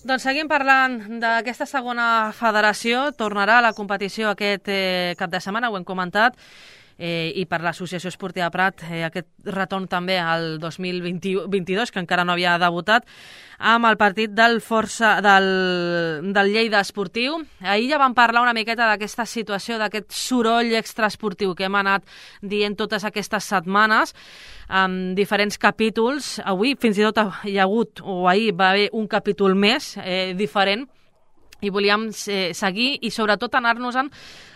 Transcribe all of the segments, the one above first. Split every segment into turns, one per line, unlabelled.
Doncs seguim parlant d'aquesta segona federació. Tornarà a la competició aquest cap de setmana, ho hem comentat, i per l'Associació Esportiva Prat aquest retorn també al 2022, que encara no havia debutat, amb el partit del Lleida Esportiu. Ahir ja vam parlar una miqueta d'aquesta situació, d'aquest soroll extraesportiu que hem anat dient totes aquestes setmanes, amb diferents capítols. Avui fins i tot hi ha hagut, o ahir va haver un capítol més diferent, i volíem seguir i sobretot anar-nos-en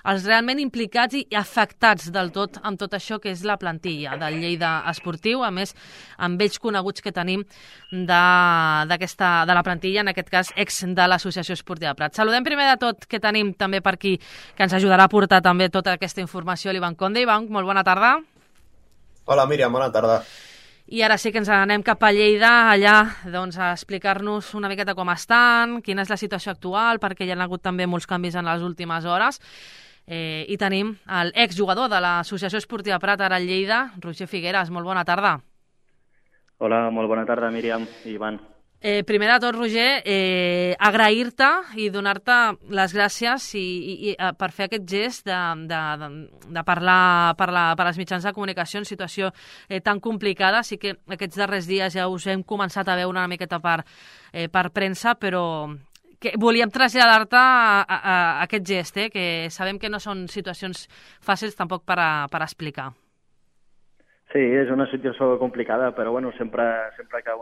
els realment implicats i afectats del tot amb tot això que és la plantilla del Lleida Esportiu, a més amb vells coneguts que tenim de la plantilla, en aquest cas ex de l'Associació Esportiva Prat. Saludem primer de tot que tenim també per aquí, que ens ajudarà a portar també tota aquesta informació, l'Ivan Conde. Ivan, molt bona tarda.
Hola Míriam, bona tarda.
I ara sí que ens anem cap a Lleida, allà doncs, a explicar-nos una miqueta com estan, quina és la situació actual, perquè hi ha hagut també molts canvis en les últimes hores. I tenim l'exjugador de l'Associació Esportiva Prat, ara al Lleida, Roger Figueras. Molt bona tarda.
Hola, molt bona tarda, Míriam i Ivan.
Primer de tot, Roger, agrair-te i donar-te les gràcies i per fer aquest gest de parlar per als mitjans de comunicació en situació tan complicada. Sí que aquests darrers dies ja us hem començat a veure una miqueta per premsa, però que volíem traslladar-te a aquest gest, que sabem que no són situacions fàcils tampoc per explicar.
Sí, és una situació complicada, però bueno, sempre que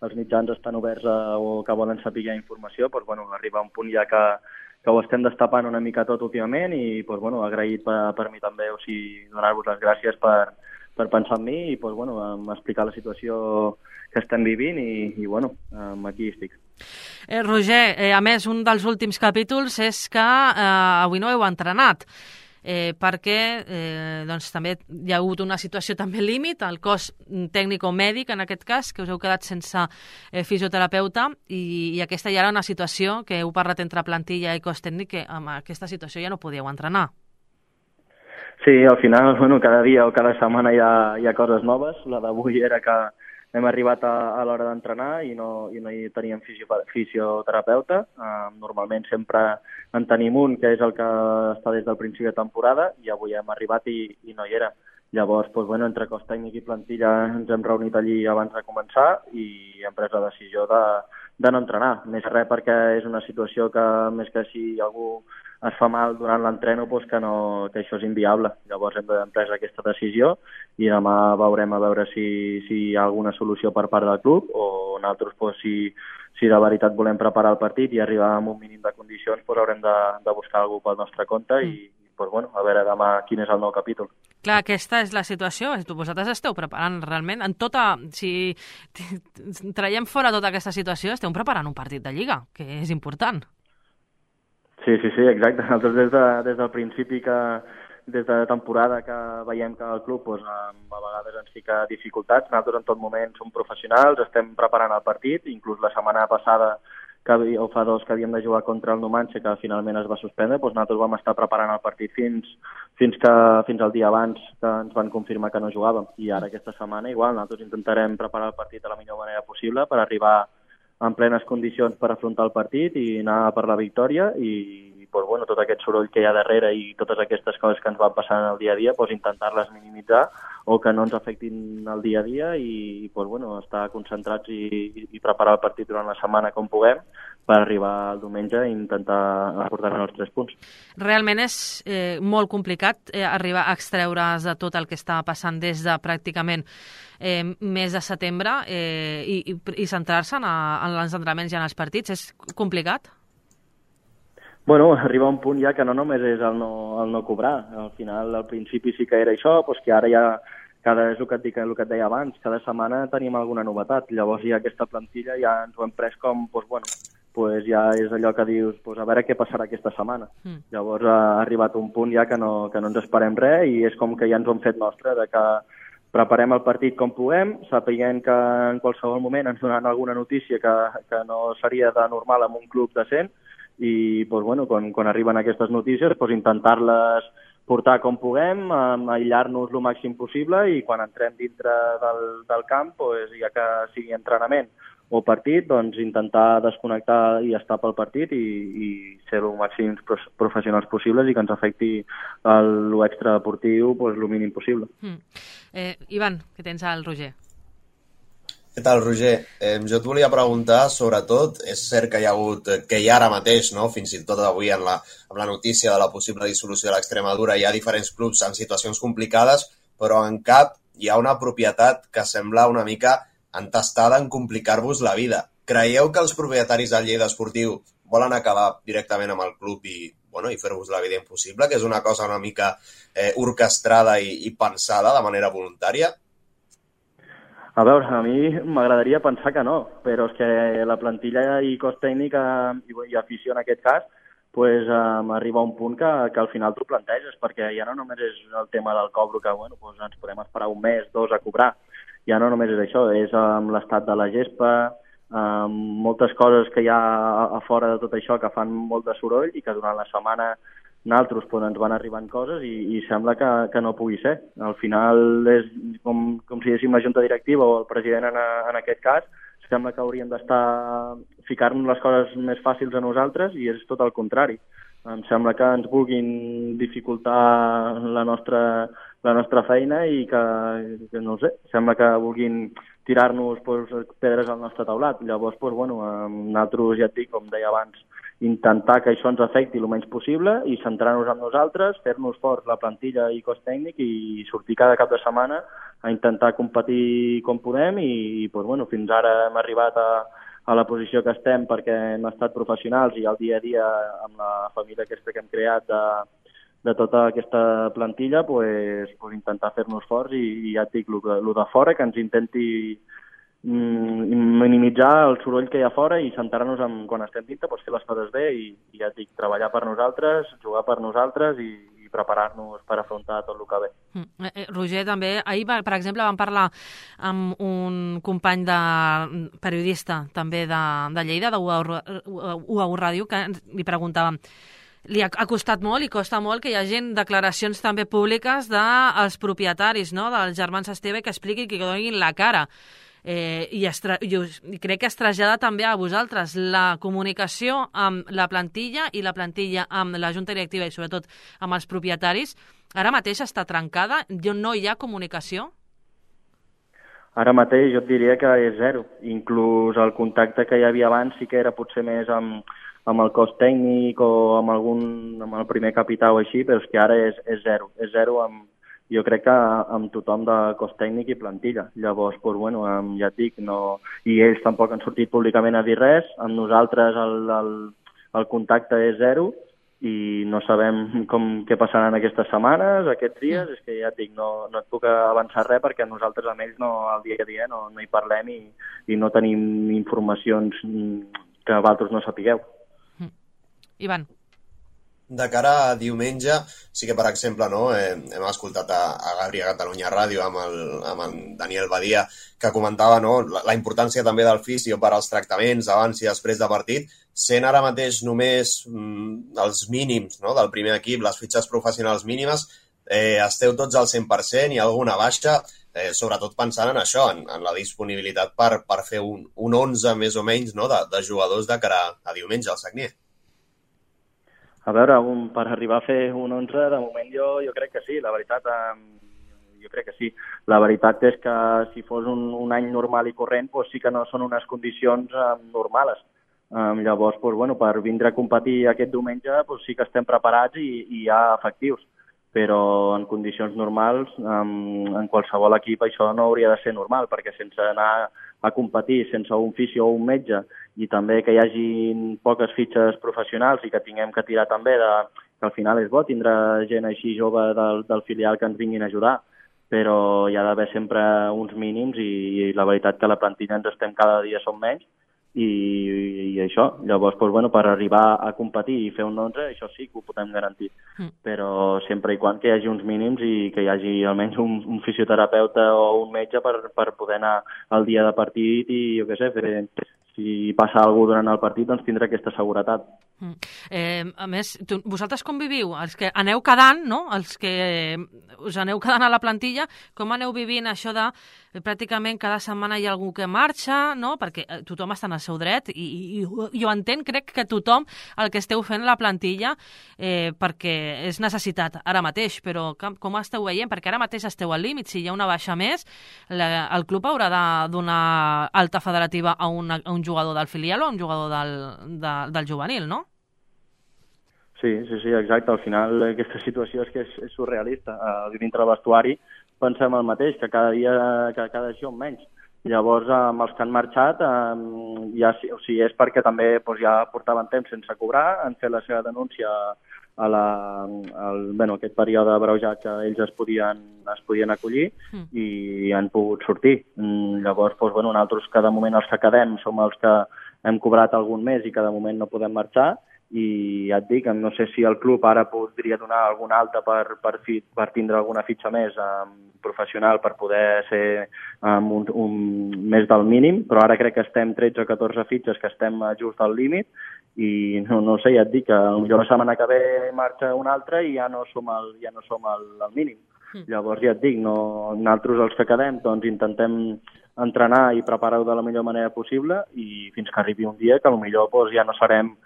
els mitjans estan oberts o que volen saber informació, doncs, bueno, arriba un punt ja que ho estem destapant una mica tot últimament i doncs, bueno, agraït per mi també, o sigui, donar-vos les gràcies per pensar en mi i doncs, bueno, explicar la situació que estem vivint i bueno, aquí estic.
Roger, a més, un dels últims capítols és que avui no heu entrenat. Perquè doncs, també hi ha hagut una situació també límit, el cos tècnic o mèdic en aquest cas, que us heu quedat sense fisioterapeuta i aquesta ja era una situació que heu parlat entre plantilla i cos tècnic, que amb aquesta situació ja no podíeu entrenar.
Sí, al final, bueno, cada dia o cada setmana hi ha coses noves. La d'avui era que hem arribat a l'hora d'entrenar i no hi teníem fisioterapeuta. Normalment sempre en tenim un, que és el que està des del principi de temporada, i avui hem arribat i no hi era. Llavors, doncs, bueno, entre cos tècnic i plantilla ens hem reunit allí abans de començar i hem pres la decisió de no entrenar. Més res perquè és una situació que, més que si algú es fa mal durant l'entreno, doncs que això és inviable. Llavors hem pres aquesta decisió i demà veurem a veure si hi ha alguna solució per part del club o nosaltres, doncs, si de veritat volem preparar el partit i arribar amb un mínim de condicions, doncs haurem de buscar algú pel nostre compte i doncs, bueno, a veure demà quin és el nou capítol.
Clar, aquesta és la situació. Vosaltres esteu preparant realment en tota... Si traiem fora tota aquesta situació, esteu preparant un partit de Lliga, que és important.
Sí, exacte. Nosaltres des del principi des de temporada que veiem que el club doncs, a vegades ens fica dificultats. Nosaltres en tot moment som professionals, estem preparant el partit, inclús la setmana passada o fa dos que havíem de jugar contra el Numancia, que finalment es va suspendre, doncs nosaltres vam estar preparant el partit fins al dia abans que ens van confirmar que no jugàvem. I ara aquesta setmana igual, nosaltres intentarem preparar el partit de la millor manera possible per arribar en plenes condicions per afrontar el partit i anar per la victòria i doncs, bueno, tot aquest soroll que hi ha darrere i totes aquestes coses que ens van passant el dia a dia, doncs, intentar-les minimitzar o que no ens afectin el dia a dia i doncs, bueno, estar concentrats i preparar el partit durant la setmana com puguem per arribar al diumenge i intentar aportar-nos els 3 punts.
Realment és molt complicat arribar a extreure's de tot el que està passant des de pràcticament mes de setembre i centrar-se en els entrenaments i en els partits. És complicat?
Bueno, arriba un punt ja que no només és el no cobrar. Al final, al principi sí que era això, doncs que ara ja, és el que et deia abans, cada setmana tenim alguna novetat. Llavors ja aquesta plantilla ja ens ho hem pres com, doncs bueno, doncs ja és allò que dius, doncs a veure què passarà aquesta setmana. Llavors ha arribat un punt ja que no ens esperem res i és com que ja ens ho hem fet nostre, de que preparem el partit com puguem, sapiguem que en qualsevol moment ens donaran alguna notícia que no seria de normal en un club decent i doncs, bueno, quan arriben aquestes notícies doncs, intentar-les portar com puguem, aïllar-nos el màxim possible i quan entrem dintre del camp, doncs, ja que sigui entrenament o partit, doncs intentar desconnectar i estar pel partit i ser el màxim professionals possibles i que ens afecti l'extradeportiu el mínim possible.
Ivan, què tens al Roger?
Què tal, Roger? Jo et volia preguntar, sobretot, és cert que hi ha ara mateix, no? Fins i tot avui amb la notícia de la possible dissolució de l'Extremadura, hi ha diferents clubs en situacions complicades, però en cap hi ha una propietat que sembla una mica entestada en complicar-vos la vida. Creieu que els propietaris del Lleida Esportiu volen acabar directament amb el club i fer-vos la vida impossible, que és una cosa una mica orquestrada i pensada de manera voluntària?
A veure, a mi m'agradaria pensar que no, però és que la plantilla i cos tècnic i afició en aquest cas arriba a un punt que al final t'ho planteges, perquè ja no només és el tema del cobro que ens podem esperar un mes, dos a cobrar. Ja no només és això, és amb l'estat de la gespa, moltes coses que hi ha a fora de tot això que fan molt de soroll i que durant la setmana nosaltres ens van arribant coses i sembla que no pugui ser. Al final és com si diguéssim la junta directiva o el president en aquest cas, sembla que hauríem d'estar ficant les coses més fàcils a nosaltres i és tot el contrari. Em sembla que ens vulguin dificultar la nostra feina i que no ho sé, sembla que vulguin tirar-nos pedres al nostre taulat. Llavors, nosaltres, ja et dic, com deia abans, intentar que això ens afecti el menys possible i centrar-nos en nosaltres, fer-nos forts la plantilla i cos tècnic i sortir cada cap de setmana a intentar competir com podem i fins ara hem arribat a la posició que estem perquè hem estat professionals i al dia a dia amb la família aquesta que hem creat de tota aquesta plantilla intentar fer-nos forts i ja et dic, el de fora que ens intenti minimitzar el soroll que hi ha fora i centrar-nos en quan estem dintre, fer les coses bé i ja et dic, treballar per nosaltres, jugar per nosaltres i preparar-nos per afrontar tot el que ve.
Roger, també, ahir, per exemple, vam parlar amb un company periodista també de Lleida, de UAU Ràdio, que li preguntàvem, li ha costat molt i costa molt que hi hagi declaracions també públiques dels propietaris, no?, dels germans Esteve, que expliquin, que donin la cara. I crec que es trasllada també a vosaltres la comunicació amb la plantilla i la plantilla amb la junta directiva i sobretot amb els propietaris. Ara mateix està trencada? No hi ha comunicació?
Ara mateix jo et diria que és zero. Inclús el contacte que hi havia abans sí que era potser més amb el cos tècnic o amb el primer capità o així, però és que ara és zero. És zero jo crec que amb tothom de cos tècnic i plantilla. Llavors, ja et dic, no, i ells tampoc han sortit públicament a dir res. Amb nosaltres el contacte és zero i no sabem què passaran aquestes setmanes, aquests dies. És que ja et dic, no et puc avançar res perquè nosaltres amb ells al dia a dia no hi parlem i no tenim informacions que vosaltres no sapigueu.
Ivan.
De cara a diumenge, sí que, per exemple, hem escoltat a Gabri a Catalunya Ràdio amb el Daniel Badia, que comentava la importància també del fisio per als tractaments abans i després de partit, sent ara mateix només els mínims del primer equip, les fitxes professionals mínimes, esteu tots al 100%, hi ha alguna baixa, sobretot pensant en això, en la disponibilitat per fer un 11 més o menys de jugadors de cara a diumenge al Sagnier.
A veure, per arribar a fer un 11, de moment jo crec que sí, la veritat, jo crec que sí. La veritat és que si fos un any normal i corrent, sí que no són unes condicions normals. Llavors, per vindre a competir aquest diumenge, sí que estem preparats i hi ha efectius. Però en condicions normals, en qualsevol equip, això no hauria de ser normal, perquè sense anar a competir, sense un fisio o un metge, i també que hi hagi poques fitxes professionals i que tinguem que tirar també que al final és bo tindre gent així jove del filial que ens vinguin a ajudar, però hi ha d'haver sempre uns mínims i la veritat que la plantilla ens estem cada dia som menys i això. Llavors, per arribar a competir i fer un 11, això sí que ho podem garantir. Però sempre i quan que hi hagi uns mínims i que hi hagi almenys un fisioterapeuta o un metge per poder anar al dia de partit i, jo què sé, si passa alguna cosa durant el partit, doncs tindrà aquesta seguretat.
A més, vosaltres com viviu? Els que aneu quedant, no? Els que us aneu quedant a la plantilla, com aneu vivint això de pràcticament cada setmana hi ha algú que marxa, no? Perquè tothom està en el seu dret i jo entenc, crec que tothom el que esteu fent a la plantilla perquè és necessitat ara mateix, però com esteu veient? Perquè ara mateix esteu al límit, si hi ha una baixa més, el club haurà de donar alta federativa a un jugador del filial o a un jugador del juvenil, no?
Sí, exacte. Al final aquesta situació és que és surrealista. Dintre del vestuari pensem el mateix, que cada dia això menys. Llavors, amb els que han marxat, és perquè també ja portaven temps sense cobrar, han fet la seva denúncia a aquest període abreujat que ells es podien acollir i han pogut sortir. Llavors, nosaltres cada moment els que quedem som els que hem cobrat algun mes i cada moment no podem marxar, i ja et dic, no sé si el club ara podria donar alguna alta per tindre alguna fitxa més professional per poder ser més del mínim, però ara crec que estem 13 o 14 fitxes que estem just al límit i no sé, ja et dic que potser la setmana que ve marxa una altra i ja no som al mínim. Llavors ja et dic, nosaltres els que quedem doncs intentem entrenar i preparar-ho de la millor manera possible i fins que arribi un dia que potser ja no serem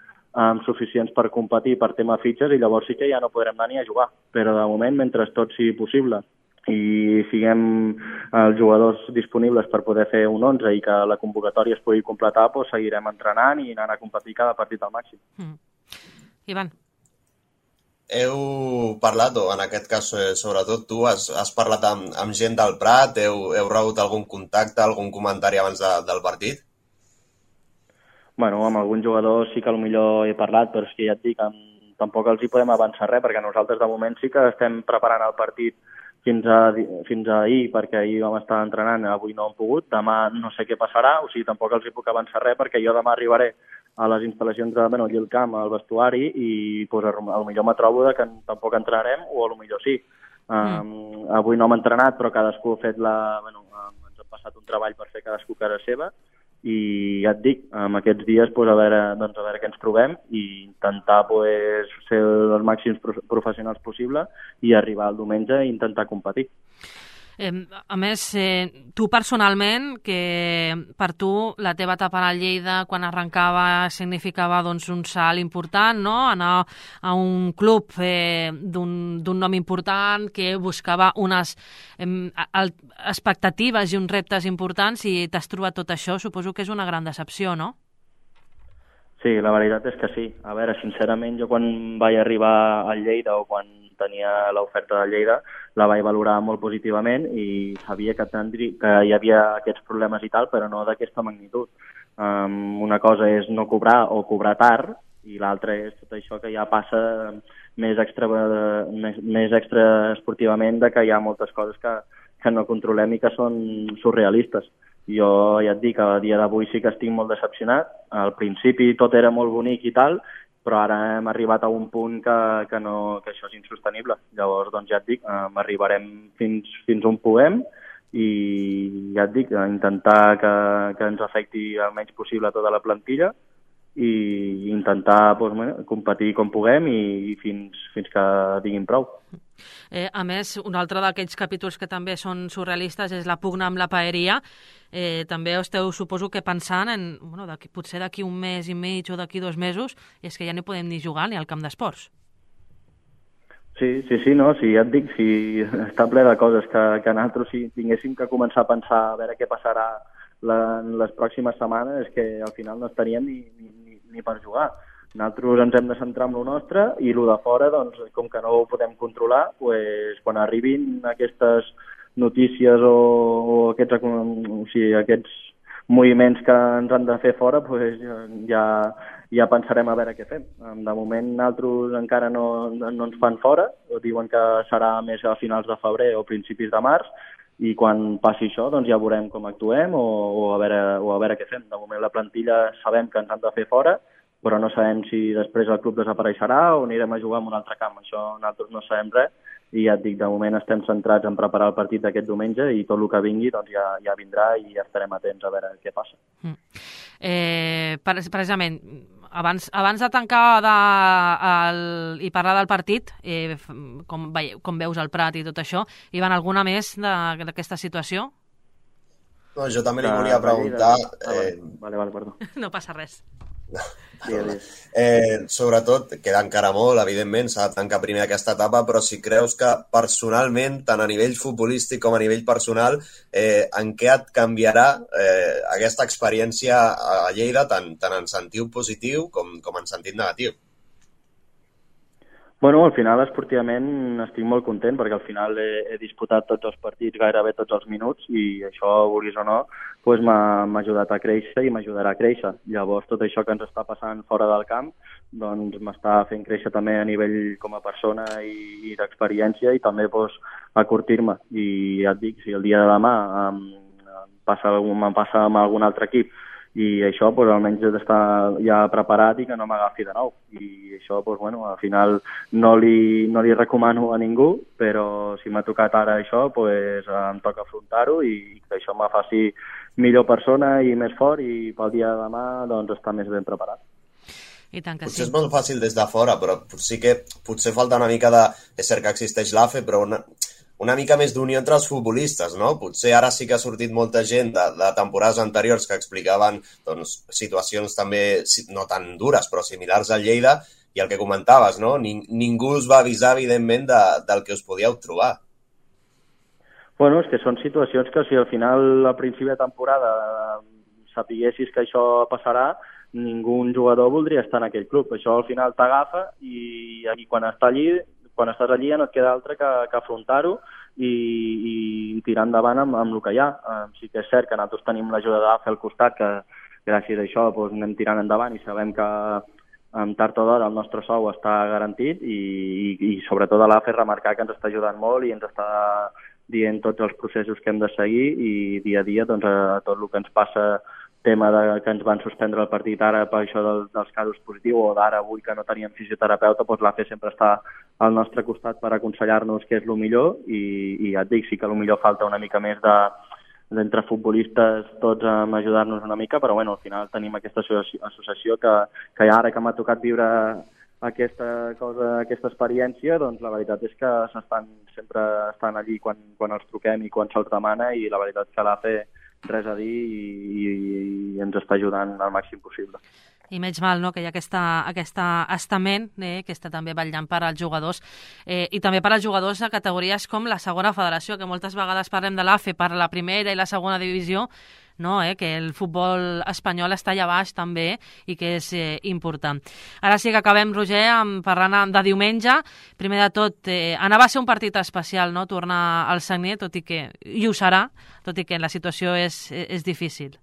suficients per competir per tema fitxes i llavors sí que ja no podrem anar ni a jugar. Però de moment, mentre tot sigui possible i siguem els jugadors disponibles per poder fer un 11 i que la convocatòria es pugui completar, doncs seguirem entrenant i anant a competir cada partit al màxim.
Ivan.
Heu parlat, o en aquest cas sobretot tu, has parlat amb gent del Prat, heu rebut algun contacte, algun comentari abans del partit?
Bueno, amb alguns jugadors sí que potser he parlat, però és que ja et dic, tampoc els hi podem avançar res, perquè nosaltres de moment sí que estem preparant el partit fins a ahir, perquè ahir vam estar entrenant, avui no hem pogut, demà no sé què passarà, o sigui, tampoc els hi puc avançar res, perquè jo demà arribaré a les instal·lacions allí al camp, al vestuari, i potser me trobo que tampoc entrarem, o potser sí. Avui no hem entrenat, però cadascú ha fet ens ha passat un treball per fer cadascú casa seva, i ja et dic, en aquests dies a veure què ens trobem i intentar ser els màxims professionals possible i arribar al diumenge i intentar competir.
A més, tu personalment, que per tu la teva etapa al Lleida quan arrencava significava un salt important, no? Anar a un club d'un nom important que buscava unes expectatives i uns reptes importants i t'has trobat tot això, suposo que és una gran decepció, no?
Sí, la veritat és que sí. A veure, sincerament, jo quan vaig arribar al Lleida o quan tenia l'oferta de Lleida la vaig valorar molt positivament i sabia que hi havia aquests problemes i tal, però no d'aquesta magnitud. Una cosa és no cobrar o cobrar tard i l'altra és tot això que ja passa més extra esportivament, de que hi ha moltes coses que no controlem i que són surrealistes. Jo ja et dic que a dia d'avui sí que estic molt decepcionat. Al principi tot era molt bonic i tal, però ara hem arribat a un punt que això és insostenible. Llavors, doncs ja et dic, arribarem fins on puguem i ja et dic, intentar que ens afecti el menys possible tota la plantilla i intentar competir com puguem i fins que diguin prou.
A més, un altre d'aquells capítols que també són surrealistes és la pugna amb la paeria. També esteu, suposo que pensant en potser d'aquí un mes i mig o d'aquí 2 mesos, és que ja no podem ni jugar ni al camp d'esports.
Sí, no, sí, ja et dic, sí, està ple de coses que nosaltres si tinguéssim que començar a pensar a veure què passarà les pròximes setmanes, és que al final no estaríem ni per jugar. Nosaltres ens hem de centrar en el nostre i el de fora, doncs, com que no ho podem controlar, quan arribin aquestes notícies o aquests moviments que ens han de fer fora, ja pensarem a veure què fem. De moment, nosaltres encara no ens fan fora, diuen que serà més a finals de febrer o principis de març, i quan passi això doncs ja veurem com actuem o a veure què fem. De moment la plantilla sabem que ens han de fer fora, però no sabem si després el club desapareixerà o anirem a jugar en un altre camp. Això nosaltres no sabem res i ja et dic, de moment estem centrats en preparar el partit d'aquest diumenge i tot el que vingui doncs ja vindrà i ja estarem atents a veure què passa.
Precisament, abans de tancar i parlar del partit, com veus el Prat i tot això, Ivan, alguna més d'aquesta situació?
No, jo també li volia preguntar...
Vale, perdó.
No passa res.
Sobretot, queda encara molt, evidentment, s'ha de tancar primer aquesta etapa, però si creus que personalment, tant a nivell futbolístic com a nivell personal, en què et canviarà aquesta experiència a Lleida, tant en sentit positiu com en sentit negatiu?
Bueno, al final, esportivament, estic molt content perquè al final he disputat tots els partits, gairebé tots els minuts, i això, vulguis o no, doncs m'ha ajudat a créixer i m'ajudarà a créixer. Llavors, tot això que ens està passant fora del camp doncs m'està fent créixer també a nivell com a persona i d'experiència i també doncs, acurtir-me. I ja et dic, si el dia de demà em passa amb algun altre equip i això doncs, almenys he d'estar ja preparat i que no m'agafi de nou. I això, doncs, bueno, al final no li recomano a ningú, però si m'ha tocat ara això, doncs, em toca afrontar-ho i que això me faci millor persona i més fort i pel dia de demà doncs, estar més ben preparat.
I tant que
potser
sí.
És molt fàcil des de fora, però sí que potser falta una mica de... És cert que existeix l'AFE, però una mica més d'unió entre els futbolistes, no? Potser ara sí que ha sortit molta gent de temporades anteriors que explicaven doncs, situacions també no tan dures, però similars al Lleida, i el que comentaves, no? Ningú us va avisar, evidentment, del que us podíeu trobar.
Bueno, és que són situacions que si al final, al principi de temporada, sapiguessis que això passarà, ningú jugador voldria estar en aquell club. Això al final t'agafa i quan estàs allí ja no et queda altre que afrontar-ho i tirar endavant amb el que hi ha. Sí que és cert que nosaltres tenim l'ajuda d'AFE al costat, que gràcies a això doncs, anem tirant endavant i sabem que tard o d'hora el nostre sou està garantit i sobretot a l'AFE remarcar que ens està ajudant molt i ens està dient tots els processos que hem de seguir i dia a dia doncs, a tot el que ens passa, tema que ens van suspendre el partit ara per això dels casos positius o d'ara avui que no teníem fisioterapeuta, doncs l'AFE sempre està al nostre costat per aconsellar-nos què és el millor i ja et dic, sí que millor falta una mica més d'entre futbolistes tots a ajudar-nos una mica, però bueno, al final tenim aquesta associació que ara que m'ha tocat viure aquesta experiència, doncs la veritat és que sempre estan allí quan els truquem i quan se'ls demana i la veritat és que l'AFE res a dir i ens està ajudant al màxim possible.
I menys mal, no?, que hi ha aquesta estament que està també vetllant per als jugadors i també per als jugadors de categories com la segona federació, que moltes vegades parlem de l'AFE per la primera i la segona divisió, no, que el futbol espanyol està allà baix també i que és important. Ara sí que acabem, Roger, parlant de diumenge. Primer de tot, anava a ser un partit especial, no?, tornar al Sagnier, i ho serà, tot i que la situació és difícil.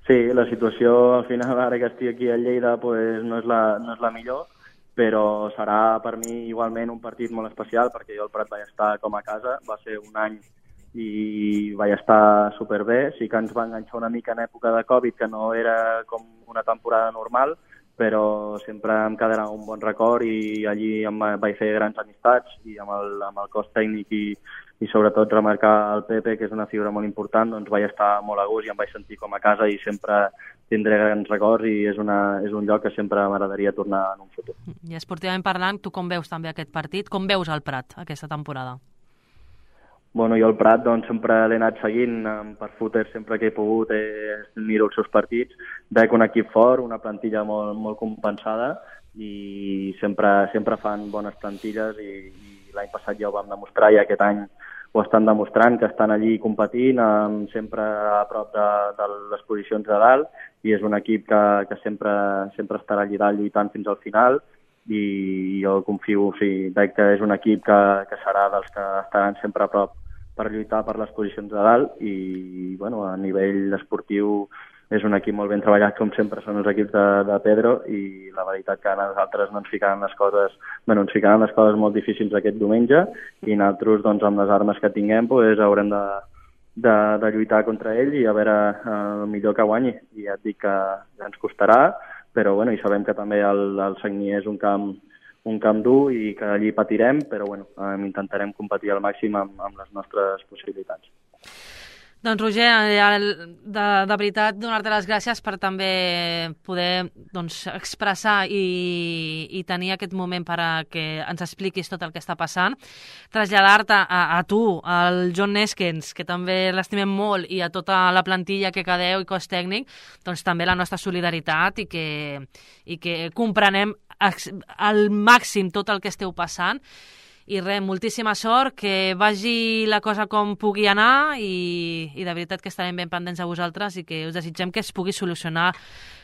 Sí, la situació al final, ara que estic aquí a Lleida, pues, no és la millor, però serà per mi igualment un partit molt especial perquè jo al Prat vaig estar com a casa, va ser un any i vaig estar superbé. Sí que ens va enganxar una mica en època de Covid, que no era com una temporada normal, però sempre em quedarà un bon record i allí vaig fer grans amistats i amb el cos tècnic i sobretot remarcar el Pepe, que és una figura molt important, doncs vaig estar molt a gust i em vaig sentir com a casa i sempre tindré grans records i és un lloc que sempre m'agradaria tornar en un futur.
I esportivament parlant, tu com veus també aquest partit? Com veus el Prat aquesta temporada?
Bueno, jo al Prat doncs, sempre l'he anat seguint per footer, sempre que he pogut miro els seus partits. Veig un equip fort, una plantilla molt compensada i sempre fan bones plantilles i l'any passat ja ho vam demostrar i aquest any ho estan demostrant, que estan allí competint, sempre a prop de les posicions de dalt i és un equip que sempre estarà allà dalt lluitant fins al final i jo confio, veig que és un equip que serà dels que estaran sempre a prop per lluitar per les posicions de dalt i bueno, a nivell esportiu és un equip molt ben treballat, com sempre són els equips de Pedro i la veritat que a nosaltres no ens ficaran les coses molt difícils aquest diumenge i nosaltres doncs, amb les armes que tinguem doncs, haurem de lluitar contra ell i a veure el millor que guanyi i ja et dic que ja ens costarà però bueno, i sabem que també el Sagnier és un camp dur i que allí patirem, però bueno, intentarem competir al màxim amb les nostres possibilitats.
Doncs Roger, de veritat donar-te les gràcies per també poder expressar i tenir aquest moment per a que ens expliquis tot el que està passant, traslladar-te a tu, al John Neskens, que també l'estimem molt, i a tota la plantilla que quedeu i cos tècnic, doncs també la nostra solidaritat i que comprenem al màxim tot el que esteu passant. I res, moltíssima sort, que vagi la cosa com pugui anar i de veritat que estarem ben pendents de vosaltres i que us desitgem que es pugui solucionar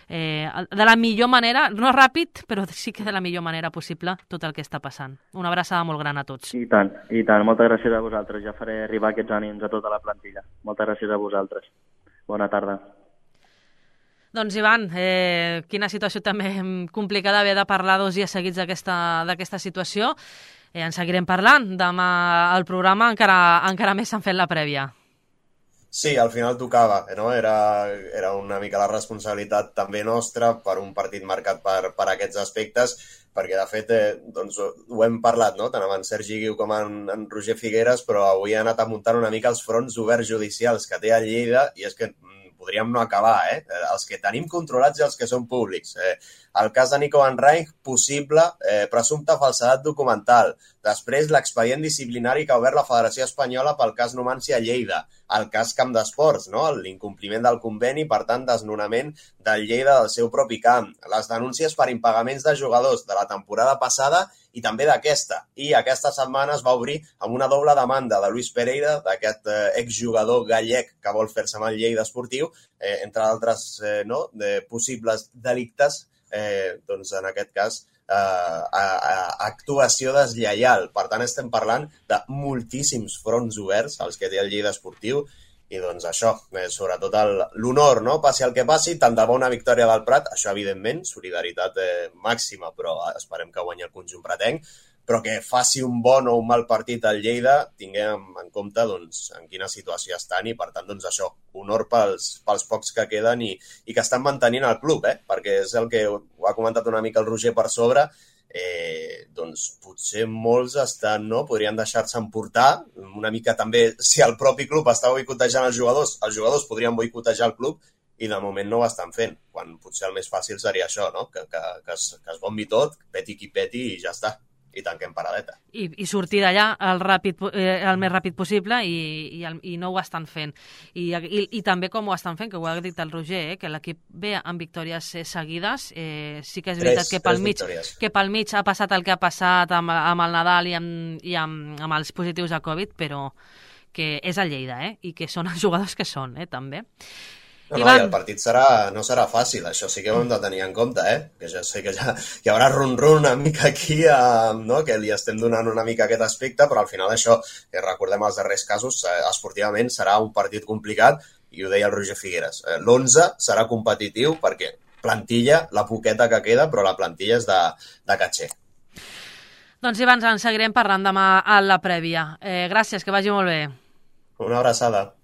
de la millor manera, no ràpid, però sí que de la millor manera possible tot el que està passant. Una abraçada molt gran a tots.
I tant. Moltes gràcies a vosaltres. Ja faré arribar aquests ànims a tota la plantilla. Moltes gràcies a vosaltres. Bona tarda.
Doncs, Ivan, quina situació també complicada haver de parlar 2 dies seguits d'aquesta situació. En seguirem parlant. Demà al programa encara més s'han fet la prèvia.
Sí, al final tocava, no? Era una mica la responsabilitat també nostra per un partit marcat per aquests aspectes, perquè de fet doncs, ho hem parlat, no? Tant amb en Sergi Guiu com en Roger Figueres, però avui ha anat amuntant una mica els fronts oberts judicials que té a Lleida, i és que podríem no acabar, els que tenim controlats i els que són públics. El cas de Nico Van Rijn, possible, presumpte falsedat documental. Després, l'expedient disciplinari que ha obert la Federació Espanyola pel cas Numancia a Lleida. El cas Camp d'Esports, no? L'incompliment del conveni, per tant, desnonament del Lleida del seu propi camp. Les denúncies per impagaments de jugadors de la temporada passada i també d'aquesta. I aquesta setmana es va obrir amb una doble demanda de Luis Pereira, d'aquest exjugador gallec que vol fer-se amb el Lleida esportiu, entre altres de possibles delictes, doncs en aquest cas actuació deslleial. Per tant, estem parlant de moltíssims fronts oberts als que té el Lleida esportiu i doncs això, sobretot l'honor, no? Passi el que passi, tant de bo una victòria del Prat, això evidentment, solidaritat màxima, però esperem que guanyi el conjunt pratenc, però que faci un bon o un mal partit al Lleida, tinguem en compte doncs, en quina situació estan i, per tant, doncs això, honor pels pocs que queden i que estan mantenint el club, perquè és el que ho ha comentat una mica el Roger per sobre, doncs potser molts estan, no? Podrien deixar-se emportar, una mica també, si el propi club està boicotejant els jugadors podrien boicotejar el club i de moment no ho estan fent, quan potser el més fàcil seria això, no? Que es bombi tot, peti qui peti i ja està. I tanquem paradeta.
I sortir d'allà el més ràpid possible i no ho estan fent. I també com ho estan fent, que ho ha dit el Roger, que l'equip ve amb victòries seguides. Sí que és veritat que pel mig ha passat el que ha passat amb el Nadal i amb els positius de Covid, però que és el Lleida, i que són els jugadors que són, també.
No, i el partit no serà fàcil, això sí que ho hem de tenir en compte, que ja sé que ja hi haurà run-run una mica aquí, no? Que li estem donant una mica aquest aspecte, però al final això, que recordem els darrers casos, esportivament serà un partit complicat, i ho deia el Roger Figueres. L'11 serà competitiu perquè plantilla, la poqueta que queda, però la plantilla és de catxer.
Doncs Ivan, ens seguirem parlant demà a la prèvia. Gràcies, que vagi molt bé.
Una abraçada.